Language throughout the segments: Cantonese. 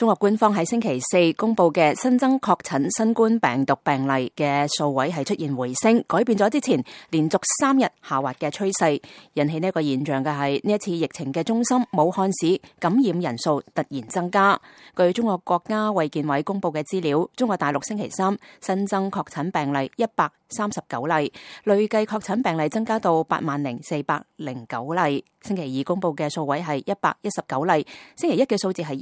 中國官方喺星期四公布嘅新增確診新冠病毒病例嘅數位係出現回升，改變咗之前連續3日下滑嘅趨勢。引起呢個現象嘅係呢一次疫情嘅中心武漢市感染人數突然增加。據中國國家衛健委公布嘅資料，中國大陸星期三新增確診病例139例，累計確診病例增加到80,409例。星期二公布嘅數位係119例，星期一嘅數字係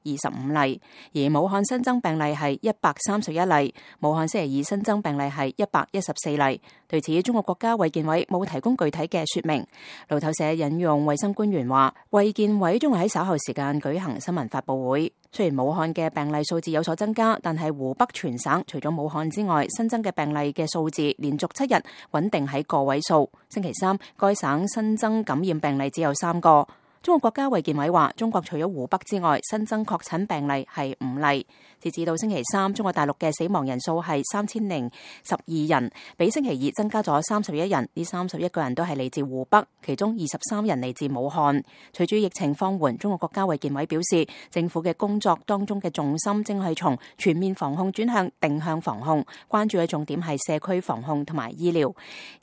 125例。而武漢新增病例係131例，武漢星期二新增病例係114例。對此，中國國家衛健委冇提供具體嘅說明。路透社引用衛生官員話，衛健委將會喺稍後時間舉行新聞發佈會。雖然武漢嘅病例數字有所增加，但係湖北全省除咗武漢之外，新增嘅病例嘅數字連續7日穩定喺個位數。星期三，該省新增感染病例只有3個。中國國家衛健委話，中國除咗湖北之外，新增確診病例係5例。截至到星期三，中國大陸嘅死亡人數係3012人，比星期二增加咗31人。呢31個人都係嚟自湖北，其中23人嚟自武漢。隨住疫情放緩，中國國家衛健委表示，政府嘅工作當中嘅重心正係從全面防控轉向定向防控，關注嘅重點係社區防控同埋醫療。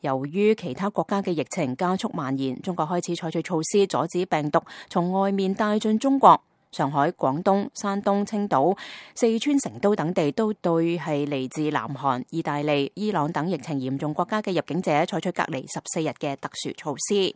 由於其他國家嘅疫情加速蔓延，中國開始採取措施阻止病毒從外面帶進中國。上海、廣東、山東、青島、四川成都等地都對係嚟自南韓、意大利、伊朗等疫情嚴重國家嘅入境者採取隔離14日嘅特殊措施。